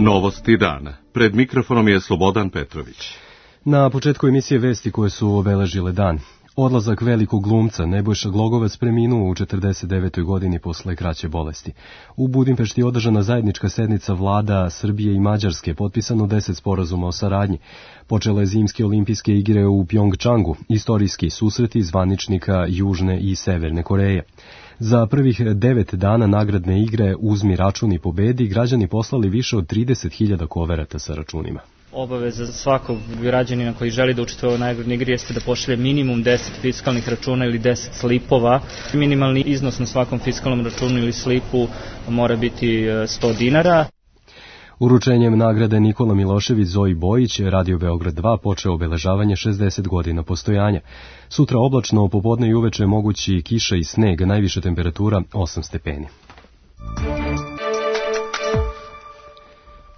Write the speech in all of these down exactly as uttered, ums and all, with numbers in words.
Novosti dana. Pred mikrofonom je Slobodan Petrović. Na početku emisije vesti koje su obeležile dan. Odlazak velikog glumca Nebojša Glogovac preminuo u četrdeset devetoj godini posle kraće bolesti. U Budimpešti je održana zajednička sednica vlada Srbije i Mađarske, potpisano deset sporazuma o saradnji. Počele zimske olimpijske igre u Pjongčangu, istorijski susreti zvaničnika Južne i Severne Koreje. Za prvih devet dana nagradne igre Uzmi račun i pobedi građani poslali više od trideset hiljada koverata sa računima. Obaveza svakog građanina koji želi da učestvuje u nagradnoj igri jeste da pošalje minimum deset fiskalnih računa ili deset slipova. Minimalni iznos na svakom fiskalnom računu ili slipu mora biti sto dinara. Uručenjem nagrade Nikola Milošević Zoji Bojić, Radio Beograd dva počeo obeležavanje šezdeset godina postojanja. Sutra oblačno, popodne i uveče mogući kiša i sneg, najviša temperatura osam stepeni.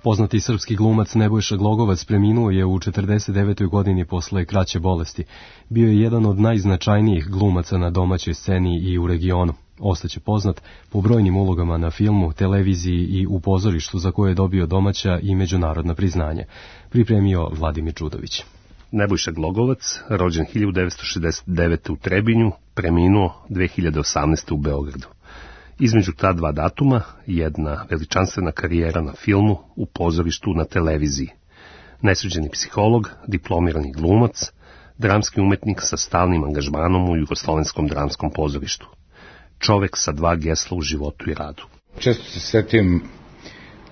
Poznati srpski glumac Nebojša Glogovac preminuo je u četrdeset devetoj godini posle kraće bolesti. Bio je jedan od najznačajnijih glumaca na domaćoj sceni i u regionu. Ostaće poznat po brojnim ulogama na filmu, televiziji i u pozorištu za koje je dobio domaća i međunarodna priznanja. Pripremio Vladimir Čudović. Nebojša Glogovac, rođen hiljadu devetsto šezdeset devete. u Trebinju, preminuo dve hiljade osamnaeste. u Beogradu. Između ta dva datuma jedna veličanstvena karijera na filmu, u pozorištu, na televiziji. Nesuđeni psiholog, diplomirani glumac, dramski umetnik sa stalnim angažmanom u Jugoslovenskom dramskom pozorištu. Čovek sa dva gesla u životu i radu. Često se setim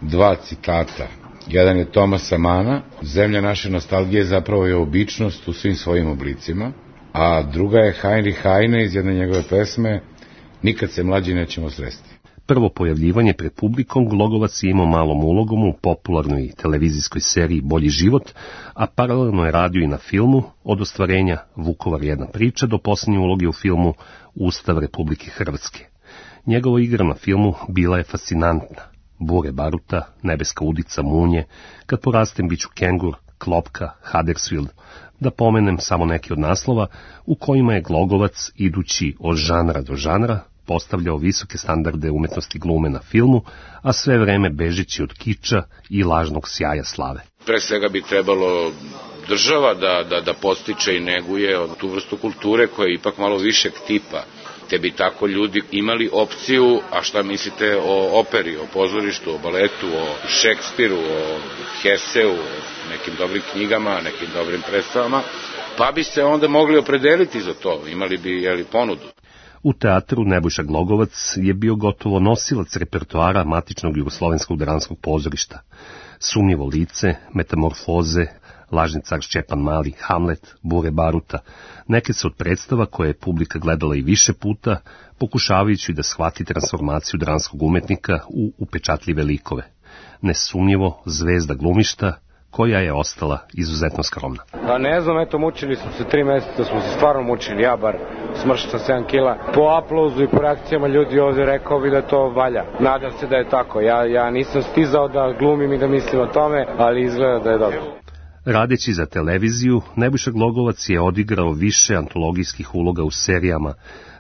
dva citata. Jedan je Tomasa Mana, zemlja naše nostalgije zapravo je običnost u svim svojim oblicima, a druga je Heinrich Heine iz jedne njegove pesme Nikad se mlađi nećemo sresti. Prvo pojavljivanje pred publikom Glogovac je imao malom ulogom u popularnoj televizijskoj seriji Bolji život, a paralelno je radio i na filmu, od ostvarenja Vukovar jedna priča do posljednje uloge u filmu Ustav Republike Hrvatske. Njegova igra na filmu bila je fascinantna. Bure baruta, Nebeska udica, Munje, Kad porastem biću kengur, Klopka, Huddersfield, da pomenem samo neke od naslova u kojima je Glogovac, idući od žanra do žanra, postavljao visoke standarde umetnosti glume na filmu, a sve vreme bežeći od kiča i lažnog sjaja slave. Pre svega bi trebalo država da, da, da postiče i neguje od tu vrstu kulture koja je ipak malo višeg tipa, te bi tako ljudi imali opciju, a šta mislite o operi, o pozorištu, o baletu, o Šekspiru, o Heseu, o nekim dobrim knjigama, nekim dobrim predstavama, pa bi se onda mogli opredeliti za to, imali bi jeli, ponudu. U teatru Nebojša Glogovac je bio gotovo nosilac repertoara matičnog jugoslovenskog dramskog pozorišta. Sumnjivo lice, Metamorfoze, Lažni car Šćepan Mali, Hamlet, Bure baruta, neke su od predstava koje je publika gledala i više puta, pokušavajući da shvati transformaciju dramskog umetnika u upečatljive likove. Nesumnjivo zvezda glumišta, koja je ostala izuzetno skromna. Pa ne znam, eto, mučili smo se tri meseca, smo se stvarno mučili, ja bar smršao sam sedam kila. Po aplauzu i po reakcijama ljudi ovde rekao bi da to valja. Nadam se da je tako, ja, ja nisam stizao da glumim i da mislim o tome, ali izgleda da je dobro. Radeći za televiziju, Nebojša Glogovac je odigrao više antologijskih uloga u serijama.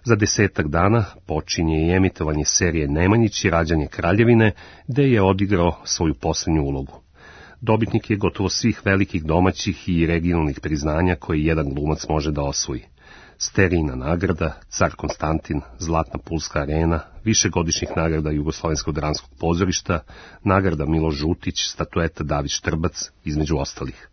Za desetak dana počinje i emitovanje serije Nemanjić i rađanje Kraljevine, gde je odigrao svoju posljednju ulogu. Dobitnik je gotovo svih velikih domaćih i regionalnih priznanja koje jedan glumac može da osvoji. Sterijina nagrada, Car Konstantin, Zlatna Pulska arena, višegodišnjih nagrada Jugoslovenskog dramskog pozorišta, nagrada Milo Žutić, statueta David Štrbac, između ostalih.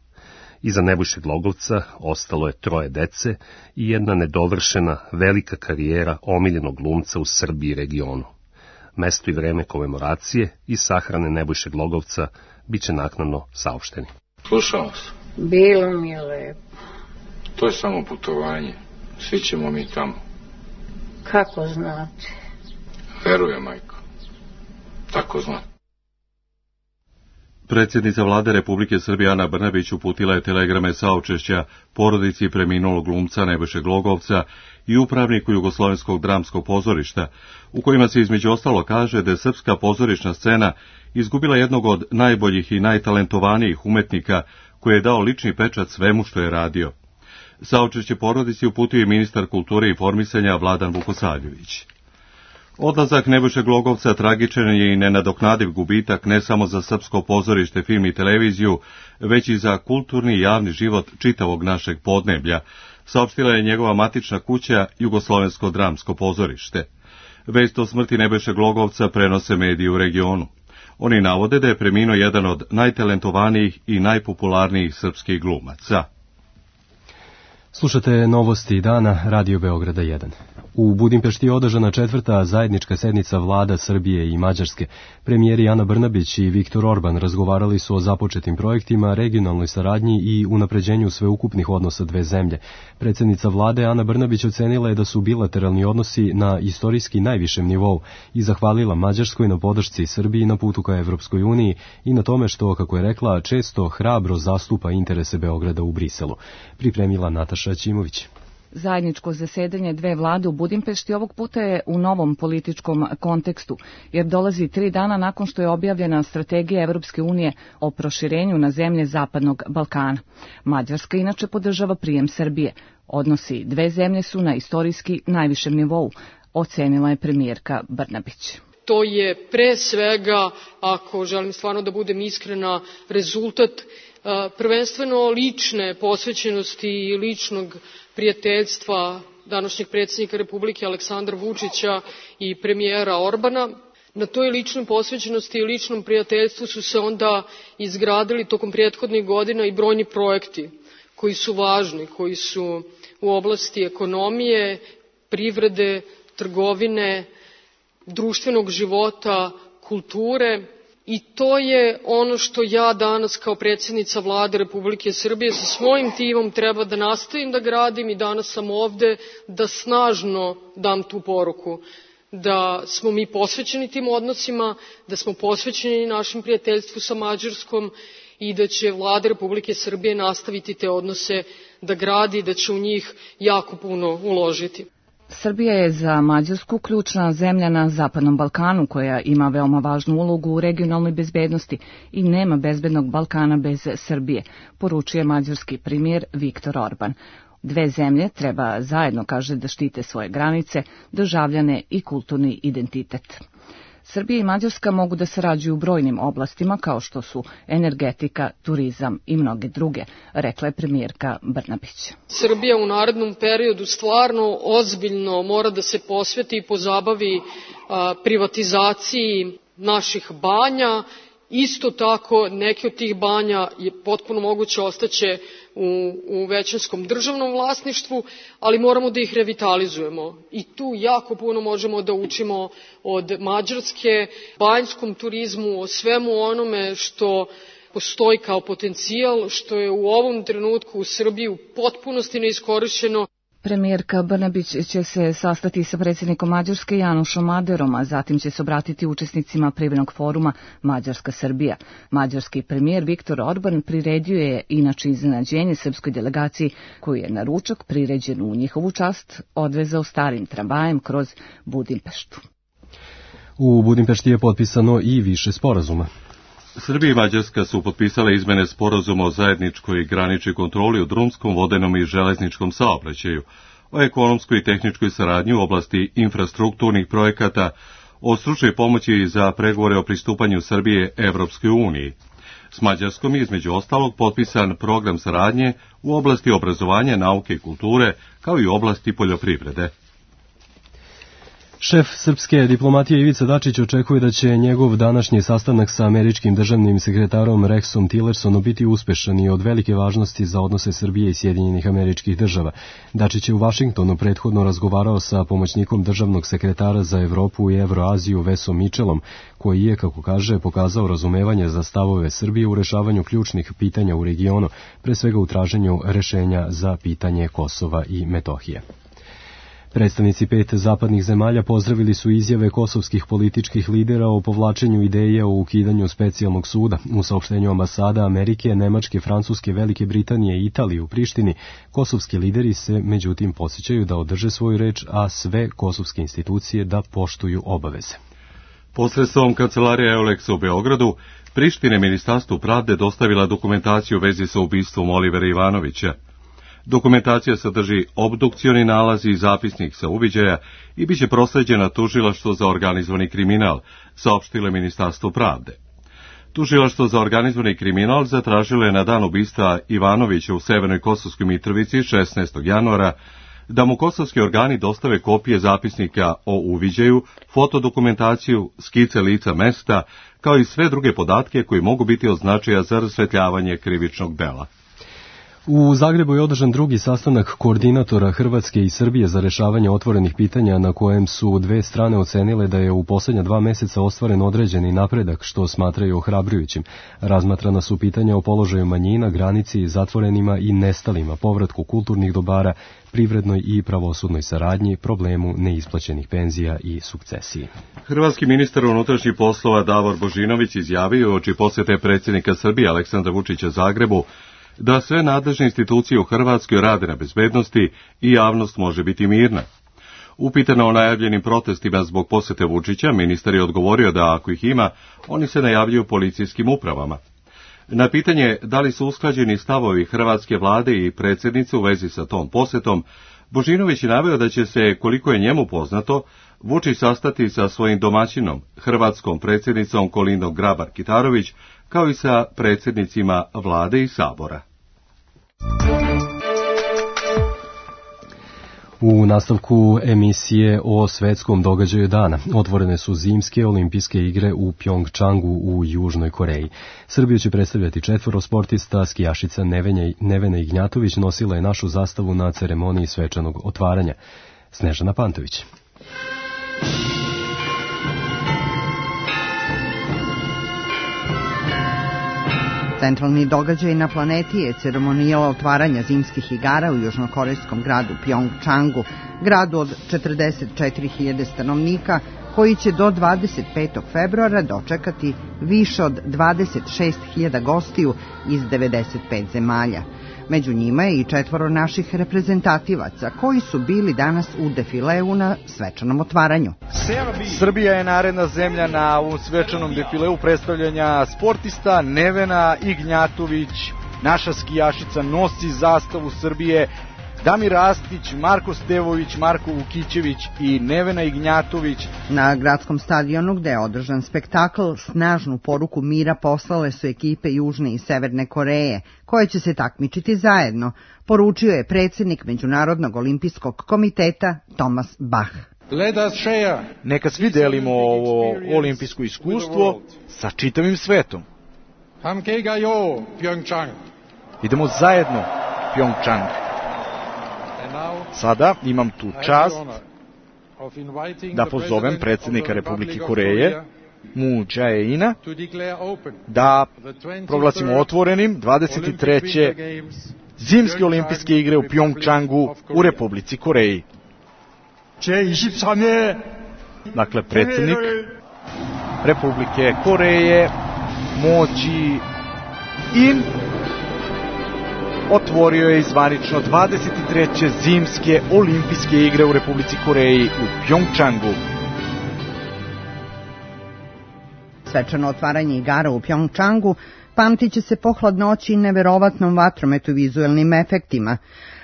Iza Nebojše Glogovca ostalo je troje dece i jedna nedovršena velika karijera omiljenog glumca u Srbiji i regionu. Mesto i vreme komemoracije i sahrane Nebojše Glogovca bit će naknadno saopšteni. Slušao se. Bilo mi je lepo. To je samo putovanje. Svi ćemo mi tamo. Kako znate? Verujem, majko. Tako znam. Predsjednica vlade Republike Srbije Ana Brnabić uputila je telegrame saučešća porodici preminulog glumca Nebojše Glogovca i upravniku Jugoslovenskog dramskog pozorišta, u kojima se između ostalo kaže da je srpska pozorišna scena izgubila jednog od najboljih i najtalentovanijih umetnika koji je dao lični pečat svemu što je radio. Saučešće porodici uputio je ministar kulture i informisanja Vladan Vukosavljević. Odlazak Nebojše Glogovca tragičan je i nenadoknadiv gubitak ne samo za srpsko pozorište, film i televiziju, već i za kulturni i javni život čitavog našeg podneblja, saopštila je njegova matična kuća Jugoslovensko dramsko pozorište. Vest o smrti Nebojše Glogovca prenose mediji u regionu. Oni navode da je preminuo jedan od najtalentovanijih i najpopularnijih srpskih glumaca. Slušate novosti dana Radio Beograda jedan. U Budimpešti je održana četvrta zajednička sednica vlada Srbije i Mađarske. Premijeri Ana Brnabić i Viktor Orban razgovarali su o započetim projektima, regionalnoj saradnji i unapređenju sveukupnih odnosa dve zemlje. Predsjednica vlade Ana Brnabić ocenila je da su bilateralni odnosi na istorijski najvišem nivou i zahvalila Mađarskoj na podršci Srbiji na putu ka Evropskoj uniji i na tome što, kako je rekla, često hrabro zastupa interese Beograda u Briselu. Pripremila Nataša Ćimović. Zajedničko zasedanje dve vlade u Budimpešti ovog puta je u novom političkom kontekstu, jer dolazi tri dana nakon što je objavljena strategija Evropske unije o proširenju na zemlje Zapadnog Balkana. Mađarska inače podržava prijem Srbije. Odnosi dve zemlje su na istorijski najvišem nivou, ocenila je premijerka Brnabić. To je pre svega, ako želim stvarno da budem iskrena, rezultat prvenstveno lične posvećenosti i ličnog prijateljstva današnjeg predsjednika Republike Aleksandra Vučića i premijera Orbana. Na toj ličnoj posvećenosti i ličnom prijateljstvu su se onda izgradili tokom prethodnih godina i brojni projekti koji su važni, koji su u oblasti ekonomije, privrede, trgovine, društvenog života, kulture. I to je ono što ja danas kao predsjednica vlade Republike Srbije sa svojim timom treba da nastavim da gradim i danas sam ovde da snažno dam tu poruku. Da smo mi posvećeni tim odnosima, da smo posvećeni našem prijateljstvu sa Mađarskom i da će vlada Republike Srbije nastaviti te odnose da gradi i da će u njih jako puno uložiti. Srbija je za Mađarsku ključna zemlja na Zapadnom Balkanu koja ima veoma važnu ulogu u regionalnoj bezbednosti i nema bezbednog Balkana bez Srbije, poručuje mađarski premijer Viktor Orban. Dve zemlje treba zajedno, kaže, da štite svoje granice, državljane i kulturni identitet. Srbija i Mađarska mogu da sarađuju u brojnim oblastima kao što su energetika, turizam i mnoge druge, rekla je premijerka Brnabić. Srbija u narednom periodu stvarno ozbiljno mora da se posveti i pozabavi a, privatizaciji naših banja. Isto tako, neke od tih banja je potpuno moguće ostaće u, u većinskom državnom vlasništvu, ali moramo da ih revitalizujemo. I tu jako puno možemo da učimo od Mađarske, banjskom turizmu, o svemu onome što postoji kao potencijal, što je u ovom trenutku u Srbiji u potpunosti neiskorišćeno. Premijerka Brnabić će se sastati sa predsjednikom Mađarske Janošom Maderom, a zatim će se obratiti učesnicima privrednog foruma Mađarska-Srbija. Mađarski premijer Viktor Orban priredio je inače iznenađenje srpskoj delegaciji koju je na ručak priređen u njihovu čast odvezao starim tramvajem kroz Budimpeštu. U Budimpešti je potpisano i više sporazuma. Srbija i Mađarska su potpisale izmene sporazuma o zajedničkoj graničnoj kontroli u drumskom, vodenom i železničkom saobraćaju, o ekonomskoj i tehničkoj saradnji u oblasti infrastrukturnih projekata, o stručnoj pomoći za pregovore o pristupanju Srbije Evropskoj uniji. S Mađarskom je između ostalog potpisan program saradnje u oblasti obrazovanja, nauke i kulture, kao i u oblasti poljoprivrede. Šef srpske diplomatije Ivica Dačić očekuje da će njegov današnji sastanak sa američkim državnim sekretarom Rexom Tillersonom biti uspešan i od velike važnosti za odnose Srbije i Sjedinjenih Američkih Država. Dačić je u Vašingtonu prethodno razgovarao sa pomoćnikom državnog sekretara za Evropu i Evroaziju Vesom Mitchellom, koji je, kako kaže, pokazao razumevanje za stavove Srbije u rešavanju ključnih pitanja u regionu, pre svega u traženju rešenja za pitanje Kosova i Metohije. Predstavnici pet zapadnih zemalja pozdravili su izjave kosovskih političkih lidera o povlačenju ideje o ukidanju specijalnog suda. U saopštenju ambasada Amerike, Nemačke, Francuske, Velike Britanije i Italije u Prištini, kosovski lideri se međutim podsjećaju da održe svoju reč, a sve kosovske institucije da poštuju obaveze. Posredstvom kancelarije Euleksa u Beogradu, Priština Ministarstvu pravde dostavila dokumentaciju u vezi sa ubistvom Olivera Ivanovića. Dokumentacija sadrži obdukcioni nalaz i zapisnik sa uviđaja i biće prosleđena tužilaštvu za organizovani kriminal, saopštilo je Ministarstvo pravde. Tužilaštvo za organizovani kriminal zatražilo je na dan ubistva Ivanovića u Severnoj Kosovskoj Mitrovici šesnaestog januara da mu kosovski organi dostave kopije zapisnika o uviđaju, fotodokumentaciju, skice lica mesta, kao i sve druge podatke koji mogu biti od značaja za rasvetljavanje krivičnog dela. U Zagrebu je održan drugi sastanak koordinatora Hrvatske i Srbije za rešavanje otvorenih pitanja na kojem su dve strane ocenile da je u posljednja dva meseca ostvaren određeni napredak, što smatraju ohrabrujućim. Razmatrana su pitanja o položaju manjina, granici, zatvorenima i nestalima, povratku kulturnih dobara, privrednoj i pravosudnoj saradnji, problemu neisplaćenih penzija i sukcesiji. Hrvatski ministar unutrašnjih poslova Davor Božinović izjavio oči posjete predsjednika Srbije Aleksandra Vučića Zagrebu da sve nadležne institucije u Hrvatskoj rade na bezbednosti i javnost može biti mirna. Upitano o najavljenim protestima zbog posjete Vučića, ministar je odgovorio da ako ih ima, oni se najavljuju policijskim upravama. Na pitanje da li su usklađeni stavovi hrvatske vlade i predsjednice u vezi sa tom posjetom, Božinović je naveo da će se, koliko je njemu poznato, Vučić sastati sa svojim domaćinom, hrvatskom predsjednicom Kolindom Grabar-Kitarović, kao i sa predsjednicima vlade i sabora. U nastavku emisije o svetskom događaju dana otvorene su zimske olimpijske igre u Pjongčangu u Južnoj Koreji. Srbiju će predstavljati četvoro sportista, skijašica Nevena Ignjatović nosila je našu zastavu na ceremoniji svečanog otvaranja. Snežana Pantović. Centralni događaj na planeti je ceremonijala otvaranja zimskih igara u južnokorejskom gradu Pjongčangu, gradu od četrdeset četiri hiljade stanovnika, koji će do dvadeset petog februara dočekati više od dvadeset šest hiljada gostiju iz devedeset pet zemalja. Među njima je i četvoro naših reprezentativaca koji su bili danas u defileu na svečanom otvaranju. Srbija je naredna zemlja na ovom svečanom defileu predstavljanja sportista. Nevena Ignjatović, naša skijašica, nosi zastavu Srbije. Damir Rastić, Marko Stevović, Marko Vukićević i Nevena Ignjatović. Na gradskom stadionu gde je održan spektakl, snažnu poruku mira poslale su ekipe Južne i Severne Koreje, koje će se takmičiti zajedno, poručio je predsjednik Međunarodnog olimpijskog komiteta Thomas Bach. Neka svi delimo ovo olimpijsko iskustvo sa čitavim svetom. Idemo zajedno, Pjongčang. Sada imam tu čast da pozovem predsjednika Republike Koreje, Moon Jae-ina, da proglasimo otvorenim dvadeset treće zimske olimpijske igre u Pjongčangu u Republici Koreji. Dakle, predsjednik Republike Koreje, Moon Jae-in, otvorio je zvanično dvadeset treće zimske olimpijske igre u Republici Koreji u Pjongčangu. Svečano otvaranje igara u Pjongčangu pamtit će se po hladnoći i neverovatnom vatrometu i vizuelnim efektima,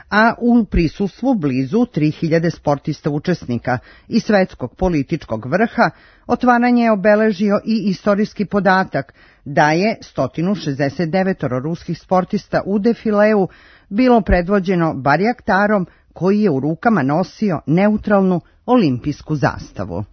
a u prisustvu blizu tri hiljade sportista učesnika i svetskog političkog vrha otvaranje je obeležio i istorijski podatak da je sto šezdeset devet ruskih sportista u defileu bilo predvođeno Barjaktarom, koji je u rukama nosio neutralnu olimpijsku zastavu.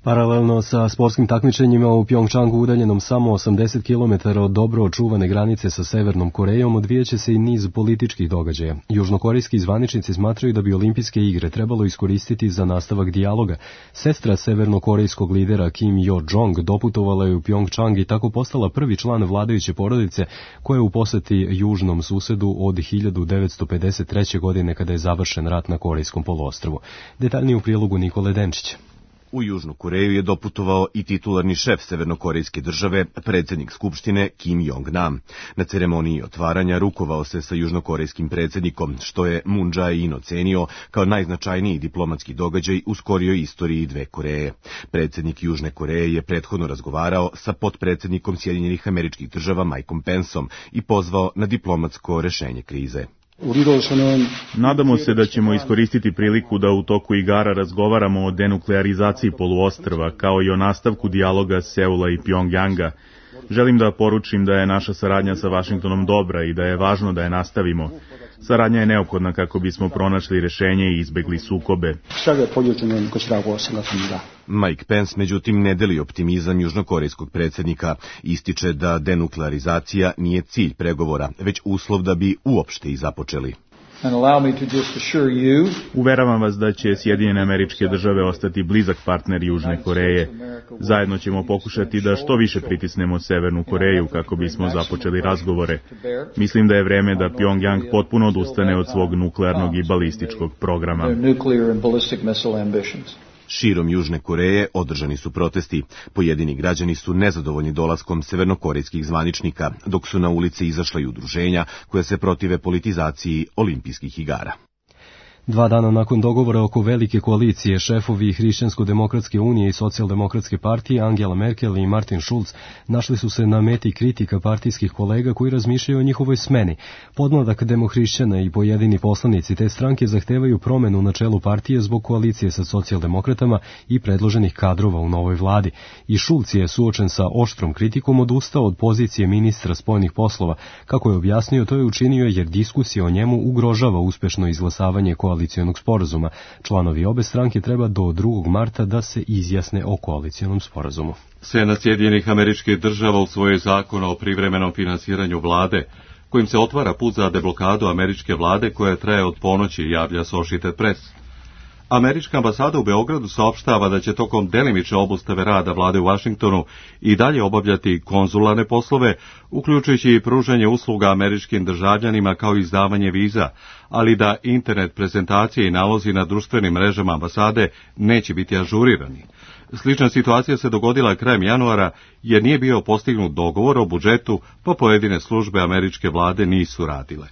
Paralelno sa sportskim takmičenjima u Pjongčangu, udaljenom samo osamdeset kilometara od dobro očuvane granice sa Severnom Korejom, odvijaće se i niz političkih događaja. Južnokorejski zvaničnici smatraju da bi olimpijske igre trebalo iskoristiti za nastavak dijaloga. Sestra severnokorejskog lidera Kim Yo-jong doputovala je u Pjongčang i tako postala prvi član vladajuće porodice koja je u poseti južnom susedu od hiljadu devetsto pedeset treće. godine kada je završen rat na Korejskom poluostrvu. Detaljnije u prilogu Nikole Denčića. U Južnu Koreju je doputovao i titularni šef severnokorejske države, predsjednik Skupštine Kim Jong-nam. Na ceremoniji otvaranja rukovao se sa južnokorejskim predsjednikom, što je Moon Jae-in ocenio kao najznačajniji diplomatski događaj u skorijoj istoriji dve Koreje. Predsjednik Južne Koreje je prethodno razgovarao sa potpredsjednikom Sjedinjenih Američkih Država Mikeom Penceom i pozvao na diplomatsko rešenje krize. Nadamo se da ćemo iskoristiti priliku da u toku igara razgovaramo o denuklearizaciji poluostrva, kao i o nastavku dijaloga Seula i Pjongjanga. Želim da poručim da je naša saradnja sa Vašingtonom dobra i da je važno da je nastavimo. Saradnja je neophodna kako bismo pronašli rešenje i izbegli sukobe. Mike Pence međutim ne deli optimizam južnokorejskog predsjednika. Ističe da denuklearizacija nije cilj pregovora, već uslov da bi uopšte i započeli. Uveravam vas da će Sjedinjene Američke Države ostati blizak partner Južne Koreje. Zajedno ćemo pokušati da što više pritisnemo Severnu Koreju kako bismo započeli razgovore. Mislim da je vreme da Pjongjang potpuno odustane od svog nuklearnog i balističkog programa. Širom Južne Koreje održani su protesti. Pojedini građani su nezadovoljni dolaskom severnokorejskih zvaničnika, dok su na ulice izašla i udruženja koja se protive politizaciji olimpijskih igara. Dva dana nakon dogovora oko velike koalicije, šefovi Hrišćansko-demokratske unije i Socijaldemokratske partije Angela Merkel i Martin Schulz našli su se na meti kritika partijskih kolega koji razmišljaju o njihovoj smeni. Podmladak demohrišćana i pojedini poslanici te stranke zahtevaju promenu na čelu partije zbog koalicije sa socijaldemokratama i predloženih kadrova u novoj vladi. I Schulz je suočen sa oštrom kritikom odustao od pozicije ministra spoljnih poslova. Kako je objasnio, to je učinio jer diskusija o njemu ugrožava uspešno izglasavanje koalicije. koalicijonog sporazuma. Članovi obe stranke treba do drugog marta da se izjasne o koalicijonom sporazumu. Senat Sjedinjenih Američkih Država usvojio zakon o privremenom finansiranju vlade, kojim se otvara put za deblokadu američke vlade koja traje od ponoći, javlja Associated Press. Američka ambasada u Beogradu saopštava da će tokom delimične obustave rada vlade u Vašingtonu i dalje obavljati konzularne poslove, uključujući i pružanje usluga američkim državljanima kao i izdavanje viza, ali da internet prezentacije i nalozi na društvenim mrežama ambasade neće biti ažurirani. Slična situacija se dogodila krajem januara jer nije bio postignut dogovor o budžetu, pa pojedine službe američke vlade nisu radile.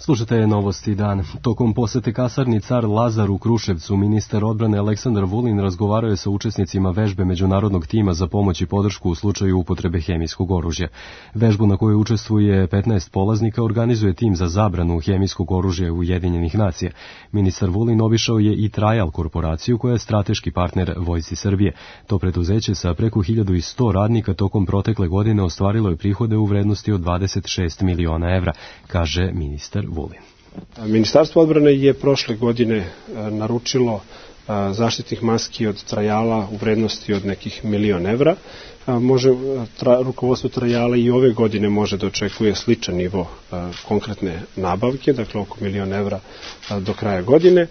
Slušajte novosti dan. Tokom posete kasarni Car Lazar u Kruševcu, ministar odbrane Aleksandar Vulin razgovarao je sa učesnicima vežbe međunarodnog tima za pomoć i podršku u slučaju upotrebe hemijskog oružja. Vežbu na kojoj učestvuje petnaest polaznika organizuje tim za zabranu hemijskog oružja Ujedinjenih nacija. Ministar Vulin obišao je i Trajal korporaciju koja je strateški partner Vojsci Srbije. To preduzeće sa preko hiljadu sto radnika tokom protekle godine ostvarilo je prihode u vrednosti od dvadeset šest miliona evra, kaže ministar Vulin. Ministarstvo odbrane je prošle godine naručilo zaštitnih maski od Trajala u vrednosti od nekih milion evra. Može, tra, rukovodstvo Trajala i ove godine može da očekuje sličan nivo konkretne nabavke, dakle oko milion evra do kraja godine,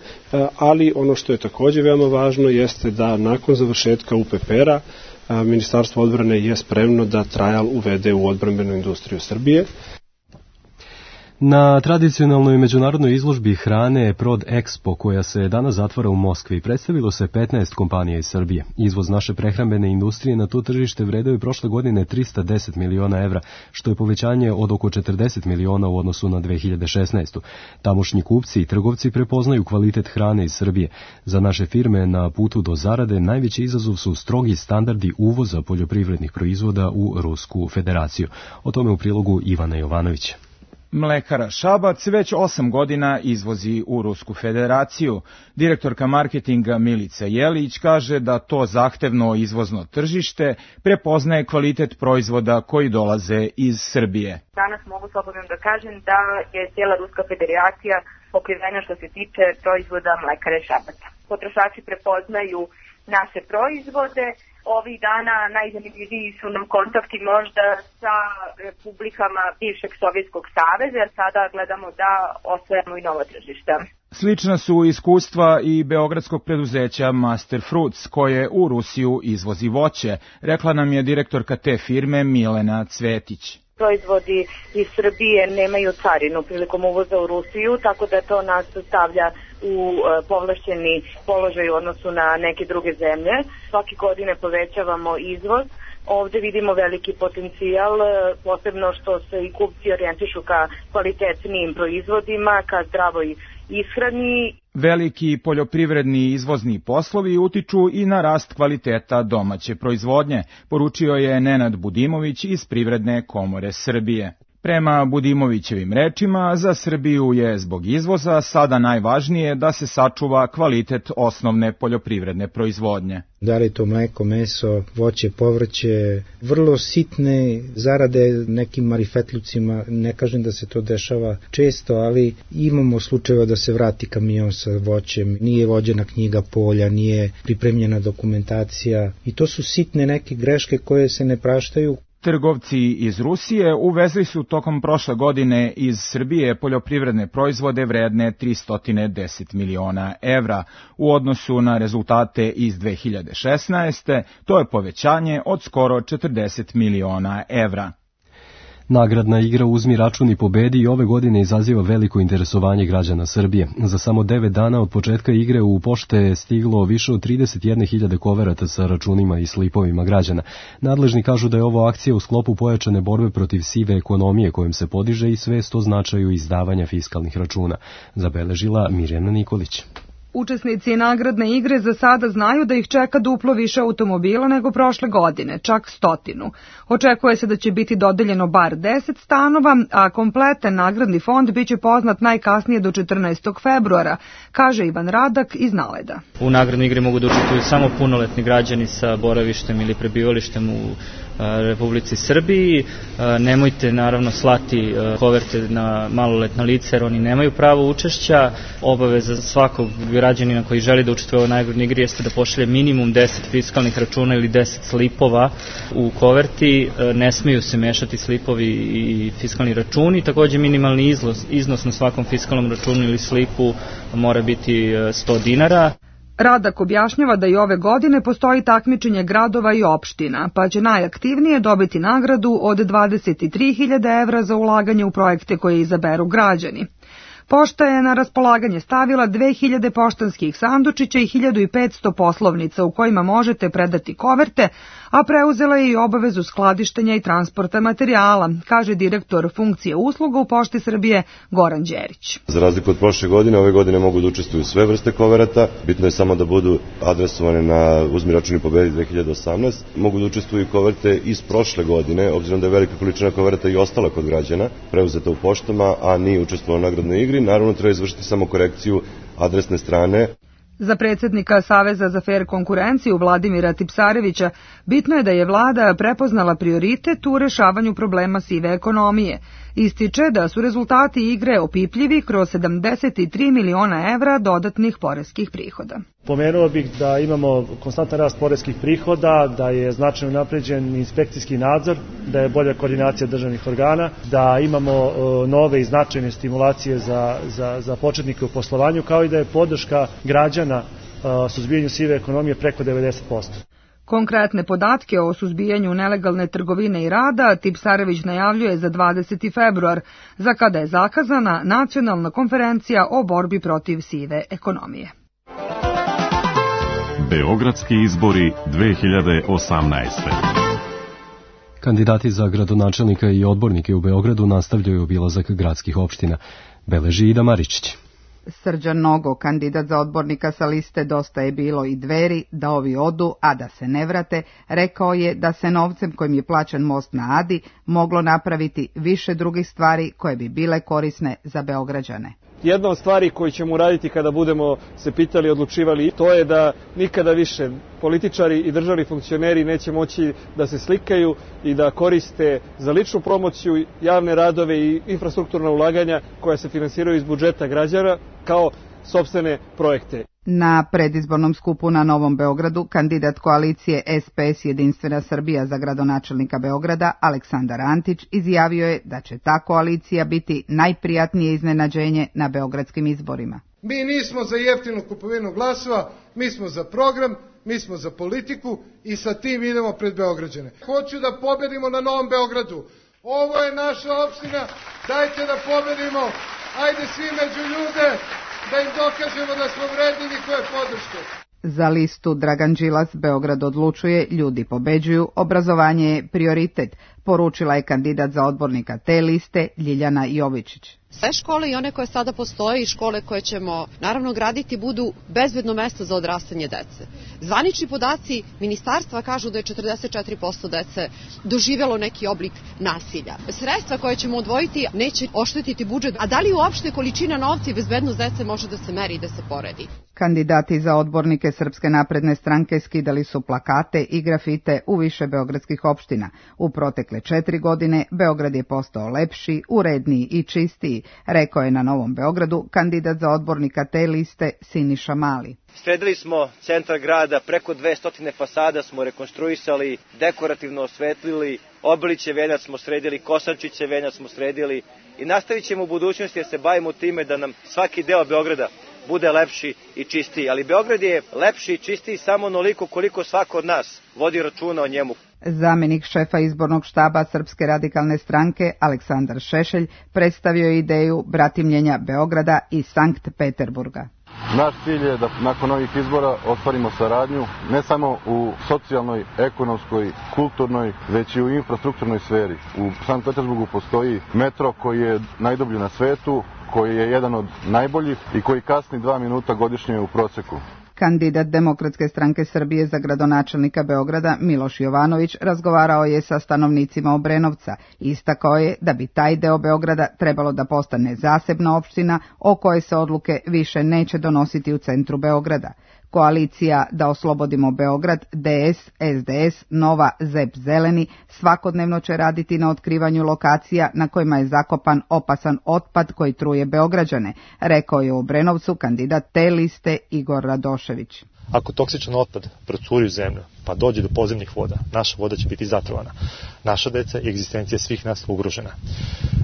ali ono što je također veoma važno jeste da nakon završetka U P P R-a Ministarstvo odbrane je spremno da Trajal uvede u odbrambenu industriju Srbije. Na tradicionalnoj međunarodnoj izložbi hrane Prod Expo, koja se danas zatvara u Moskvi, predstavilo se petnaest kompanija iz Srbije. Izvoz naše prehrambene industrije na to tržište vredeo je prošle godine trista deset miliona evra, što je povećanje od oko četrdeset miliona u odnosu na dve hiljade šesnaestu. Tamošnji kupci i trgovci prepoznaju kvalitet hrane iz Srbije. Za naše firme na putu do zarade najveći izazov su strogi standardi uvoza poljoprivrednih proizvoda u Rusku federaciju. O tome u prilogu Ivana Jovanovića. Mlekara Šabac već osam godina izvozi u Rusku federaciju. Direktorka marketinga Milica Jelić kaže da to zahtevno izvozno tržište prepoznaje kvalitet proizvoda koji dolaze iz Srbije. Danas mogu slobodno da kažem da je cijela Ruska federacija pokrivena što se tiče proizvoda Mlekare Šabac. Potrošači prepoznaju naše proizvode. Ovih dana najzanimljiviji su nam kontakti možda sa republikama bivšeg Sovjetskog saveza, jer sada gledamo da osvojamo i novo tržište. Slična su iskustva i beogradskog preduzeća Master Fruits, koje u Rusiju izvozi voće, rekla nam je direktorka te firme Milena Cvetić. Proizvodi iz Srbije nemaju carinu prilikom uvoza u Rusiju, tako da to nas stavlja u povlašćeni položaj u odnosu na neke druge zemlje. Svake godine povećavamo izvoz. Ovde vidimo veliki potencijal, posebno što se i kupci orijentišu ka kvalitetnijim proizvodima, ka zdravoj ishrani. Veliki poljoprivredni izvozni poslovi utiču i na rast kvaliteta domaće proizvodnje, poručio je Nenad Budimović iz Privredne komore Srbije. Prema Budimovićevim rečima, za Srbiju je zbog izvoza sada najvažnije da se sačuva kvalitet osnovne poljoprivredne proizvodnje. Da li to mleko, meso, voće, povrće, vrlo sitne zarade nekim marifetlucima, ne kažem da se to dešava često, ali imamo slučajeva da se vrati kamion sa voćem, nije vođena knjiga polja, nije pripremljena dokumentacija i to su sitne neke greške koje se ne praštaju. Trgovci iz Rusije uvezli su tokom prošle godine iz Srbije poljoprivredne proizvode vredne tristo deset miliona evra. U odnosu na rezultate iz dve hiljade šesnaeste. to je povećanje od skoro četrdeset miliona evra. Nagradna igra Uzmi račun i pobedi i ove godine izaziva veliko interesovanje građana Srbije. Za samo devet dana od početka igre u pošte je stiglo više od trideset jedne hiljade koverata sa računima i slipovima građana. Nadležni kažu da je ovo akcija u sklopu pojačane borbe protiv sive ekonomije kojom se podiže i svest o značaju izdavanja fiskalnih računa, zabeležila Mirjana Nikolić. Učesnici nagradne igre za sada znaju da ih čeka duplo više automobila nego prošle godine, čak stotinu. Očekuje se da će biti dodeljeno bar deset stanova, a kompletan nagradni fond biće poznat najkasnije do četrnaestog februara, kaže Ivan Radak iz Naleda. U nagradnoj igri mogu da učestvuju samo punoletni građani sa boravištem ili prebivalištem u Republici Srbiji. Nemojte naravno slati koverte na maloletna lica jer oni nemaju pravo učešća. Obaveza svakog građanina koji želi da učestvuje u ovoj nagradnoj igri jeste da pošalje minimum deset fiskalnih računa ili deset slipova u koverti. Ne smiju se mešati slipovi i fiskalni računi. Takođe minimalni iznos, iznos na svakom fiskalnom računu ili slipu mora biti sto dinara. Radak objašnjava da i ove godine postoji takmičenje gradova i opština, pa će najaktivnije dobiti nagradu od dvadeset tri hiljade evra za ulaganje u projekte koje izaberu građani. Pošta je na raspolaganje stavila dve hiljade poštanskih sandučića i hiljadu petsto poslovnica u kojima možete predati koverte, a preuzela je i obavezu skladištenja i transporta materijala, kaže direktor funkcije usluga u Pošti Srbije Goran Đerić. Za razliku od prošle godine, ove godine mogu da učestvuju sve vrste koverata, bitno je samo da budu adresovane na Uzmi račun i pobedi dve hiljade osamnaeste. Mogu da učestvuju i koverte iz prošle godine, obzirom da je velika količina koverata i ostala kod građana, preuzeta u poštama, a nije učestvovala u nagradnoj igri. Naravno, treba izvršiti samo korekciju adresne strane. Za predsjednika Saveza za fer konkurenciju Vladimira Tipsarevića bitno je da je vlada prepoznala prioritet u rešavanju problema sive ekonomije. Ističe da su rezultati igre opipljivi kroz sedamdeset tri miliona evra dodatnih poreskih prihoda. Pomenuo bih da imamo konstantan rast poreskih prihoda, da je značajno napređen inspekcijski nadzor, da je bolja koordinacija državnih organa, da imamo nove i značajne stimulacije za, za, za početnike u poslovanju, kao i da je podrška građana suzbijanju sive ekonomije preko devedeset posto. Konkretne podatke o suzbijanju nelegalne trgovine i rada Tipsarević najavljuje za dvadeseti februar, za kada je zakazana nacionalna konferencija o borbi protiv sive ekonomije. Beogradski izbori dve hiljade osamnaeste. Kandidati za gradonačelnika i odbornike u Beogradu nastavljaju obilazak gradskih opština, beleži Ida Maričić. Srđan Nogo, kandidat za odbornika sa liste Dosta je bilo i Dveri, da ovi odu, a da se ne vrate, rekao je da se novcem kojim je plaćan most na Adi moglo napraviti više drugih stvari koje bi bile korisne za Beograđane. Jedna od stvari koju ćemo uraditi kada budemo se pitali i odlučivali, to je da nikada više političari i državni funkcioneri neće moći da se slikaju i da koriste za ličnu promociju javne radove i infrastrukturna ulaganja koja se finansiraju iz budžeta građana kao sopstvene projekte. Na predizbornom skupu na Novom Beogradu kandidat koalicije S P S Jedinstvena Srbija za gradonačelnika Beograda Aleksandar Antić izjavio je da će ta koalicija biti najprijatnije iznenađenje na beogradskim izborima. Mi nismo za jeftinu kupovinu glasova, mi smo za program, mi smo za politiku i sa tim idemo pred Beograđane. Hoću da pobedimo na Novom Beogradu. Ovo je naša opština, dajte da pobedimo, ajde svi među ljude, da im dokažemo da smo vredni njihove podrške. Za listu Dragan Đilas, Beograd odlučuje, ljudi pobeđuju, obrazovanje je prioritet, poručila je kandidat za odbornika te liste Ljiljana Jovičić. Sve škole i one koje sada postoje i škole koje ćemo naravno graditi budu bezbedno mesto za odrastanje dece. Zvanični podaci ministarstva kažu da je četrdeset četiri posto dece doživelo neki oblik nasilja. Sredstva koje ćemo odvojiti neće oštetiti budžet, a da li uopšte količina novca i bezbednost dece može da se meri i da se poredi? Kandidati za odbornike Srpske napredne stranke skidali su plakate i grafite u više beogradskih opština. U protekle četiri godine Beograd je postao lepši, uredniji i čistiji, rekao je na Novom Beogradu kandidat za odbornika te liste Siniša Mali. Sredili smo centar grada, preko dvesta fasada smo rekonstruisali, dekorativno osvetlili, Obiliće venjac smo sredili, Kosančiće venjac smo sredili i nastavit ćemo u budućnosti da se bavimo time da nam svaki deo Beograda bude lepši i čistiji. Ali Beograd je lepši i čistiji samo onoliko koliko svako od nas vodi računa o njemu. Zamenik šefa izbornog štaba Srpske radikalne stranke Aleksandar Šešelj predstavio je ideju bratimljenja Beograda i Sankt Peterburga. Naš cilj je da nakon ovih izbora ostvarimo saradnju ne samo u socijalnoj, ekonomskoj, kulturnoj, već i u infrastrukturnoj sferi. U Sankt Petersburgu postoji metro koji je najdublji na svetu, koji je jedan od najboljih i koji kasni dva minuta godišnje u proseku. Kandidat Demokratske stranke Srbije za gradonačelnika Beograda Miloš Jovanović razgovarao je sa stanovnicima Obrenovca i istakao je da bi taj deo Beograda trebalo da postane zasebna opština o kojoj se odluke više neće donositi u centru Beograda. Koalicija Da oslobodimo Beograd, D S, S D S, Nova, Z E P Zeleni svakodnevno će raditi na otkrivanju lokacija na kojima je zakopan opasan otpad koji truje Beograđane, rekao je u Obrenovcu kandidat te liste Igor Radošević. Ako toksičan otpad procuri u zemlju, pa dođe do podzemnih voda, naša voda će biti zatrovana. Naša deca i egzistencija svih nas ugrožena.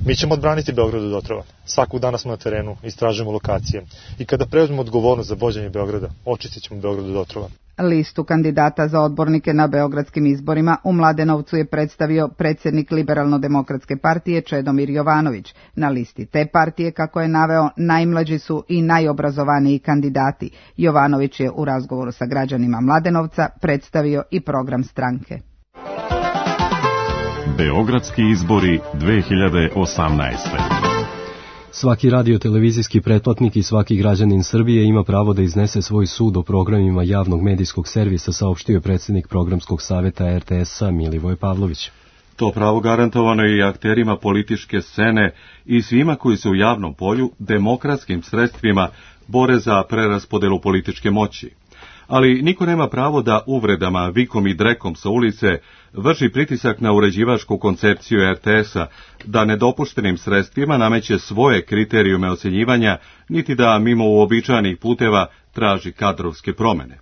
Mi ćemo odbraniti Beograd od otrova. Svakog dana smo na terenu, istražujemo lokacije. I kada preuzmemo odgovornost za vođenje Beograda, očistit ćemo Beograd od otrova. Listu kandidata za odbornike na beogradskim izborima u Mladenovcu je predstavio predsjednik Liberalno-demokratske partije Čedomir Jovanović. Na listi te partije, kako je naveo, najmlađi su i najobrazovaniji kandidati. Jovanović je u razgovoru sa građanima Mladenovca predstavio i program stranke. Beogradski izbori dve hiljade osamnaeste. Svaki radio-televizijski pretplatnik i svaki građanin Srbije ima pravo da iznese svoj sud o programima javnog medijskog servisa, saopštio je predsjednik programskog saveta R T S-a Milivoje Pavlović. To pravo garantovano je i akterima političke scene i svima koji se u javnom polju demokratskim sredstvima bore za preraspodelu političke moći. Ali niko nema pravo da uvredama, vikom i drekom sa ulice vrši pritisak na uređivačku koncepciju R T S-a, da nedopuštenim sredstvima nameće svoje kriterijume ocenjivanja, niti da mimo uobičajenih puteva traži kadrovske promene.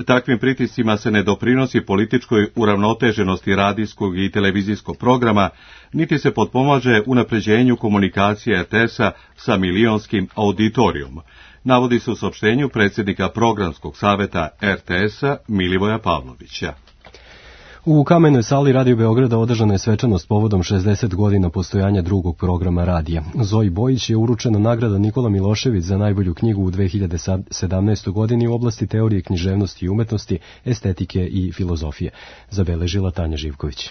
Takvim pritiscima se ne doprinosi političkoj uravnoteženosti radijskog i televizijskog programa, niti se potpomaže unapređenju komunikacije R T S-a sa milionskim auditorijom, navodi se u saopštenju predsjednika programskog saveta R T S-a Milivoja Pavlovića. U Kamenoj sali Radio Beograda održana je svečanost povodom šezdeset godina postojanja drugog programa radija. Zoji Bojić je uručena nagrada Nikola Milošević za najbolju knjigu u dve hiljade sedamnaestoj. godini u oblasti teorije književnosti i umetnosti, estetike i filozofije, zabeležila Tanja Živković.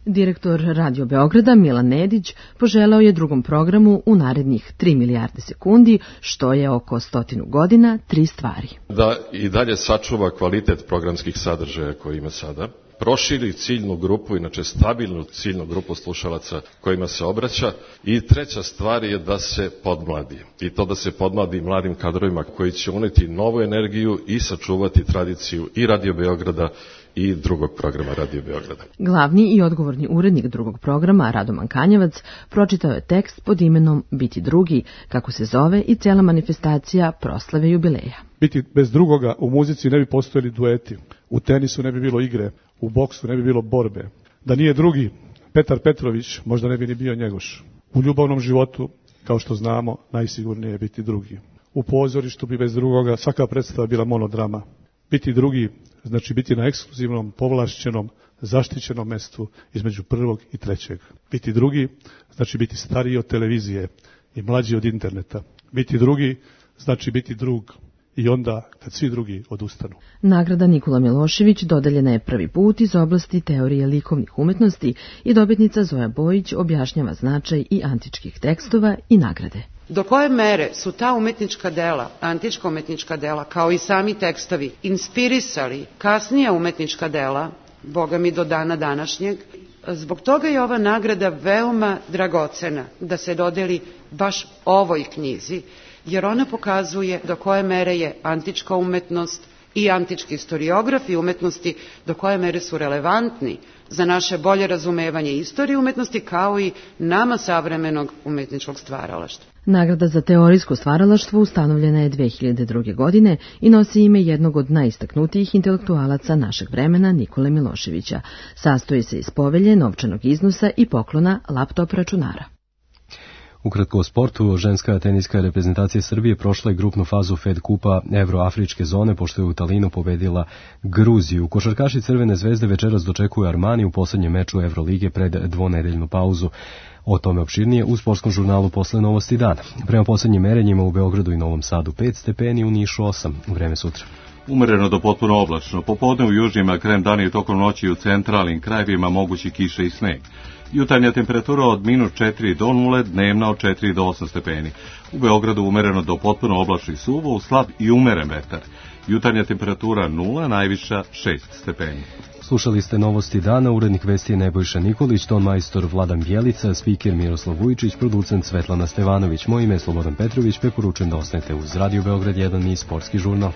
Direktor Radio Beograda Milan Nedić poželeo je drugom programu u narednih tri milijarde sekundi, što je oko stotinu godina, tri stvari. Da i dalje sačuva kvalitet programskih sadržaja koji ima sada, proširi ciljnu grupu, inače stabilnu ciljnu grupu slušalaca kojima se obraća, i treća stvar je da se podmladi. I to da se podmladi mladim kadrovima koji će uneti novu energiju i sačuvati tradiciju i Radio Beograda i drugog programa Radio Beograda. Glavni i odgovorni urednik drugog programa, Radoman Kanjevac, pročitao je tekst pod imenom Biti drugi, kako se zove i cela manifestacija proslave jubileja. Biti bez drugoga, u muzici ne bi postojali dueti, u tenisu ne bi bilo igre, u boksu ne bi bilo borbe. Da nije drugi, Petar Petrović, možda ne bi ni bio Njegoš. U ljubavnom životu, kao što znamo, najsigurnije je biti drugi. U pozorištu bi bez drugoga svaka predstava bila monodrama. Biti drugi znači biti na ekskluzivnom, povlašćenom, zaštićenom mestu između prvog i trećeg. Biti drugi znači biti stariji od televizije i mlađi od interneta. Biti drugi znači biti drug i onda kad svi drugi odustanu. Nagrada Nikola Milošević dodeljena je prvi put iz oblasti teorije likovnih umetnosti i dobitnica Zoja Bojić objašnjava značaj i antičkih tekstova i nagrade. Do koje mere su ta umetnička dela, antička umetnička dela, kao i sami tekstovi, inspirisali kasnija umetnička dela, boga mi do dana današnjeg, zbog toga je ova nagrada veoma dragocena da se dodeli baš ovoj knjizi, jer ona pokazuje do koje mere je antička umetnost i antički historiografi umetnosti, do koje mere su relevantni za naše bolje razumevanje istorije umetnosti, kao i nama savremenog umetničkog stvaralaštva. Nagrada za teorijsko stvaralaštvo ustanovljena je dve hiljade druge. godine i nosi ime jednog od najistaknutijih intelektualaca našeg vremena, Nikole Miloševića. Sastoji se iz povelje, novčanog iznosa i poklona laptop računara. Ukratko o sportu, ženska teniska reprezentacija Srbije prošla je grupnu fazu Fed kupa Evroafričke zone, pošto je u Talinu pobedila Gruziju. Košarkaši Crvene zvezde večeras dočekuju Armani u poslednjem meču Evrolige pred dvonedeljnu pauzu. O tome opširnije u sportskom žurnalu posle Novosti dana. Prema poslednjim merenjima u Beogradu i Novom Sadu pet stepeni, u Nišu osam. Vreme sutra. Umereno do potpuno oblačno. Popodne u južnim, a krajem dana i tokom noći u centralnim krajevima mogući kiše i sneg. Jutarnja temperatura od minus četiri do nule, dnevna od četiri do osam stepeni. U Beogradu umereno do potpuno oblačno i suvo, u slab i umeren vetar. Jutarnja temperatura nula, najviša šest stepeni. Slušali ste Novosti dana, urednik vesti je Nebojša Nikolić, ton majstor Vladan Bjelica, spiker Miroslav Vujičić, producent Svetlana Stevanović. Moje ime je Slobodan Petrović, preporučujem da ostanete uz Radio Beograd jedan i sportski žurnal.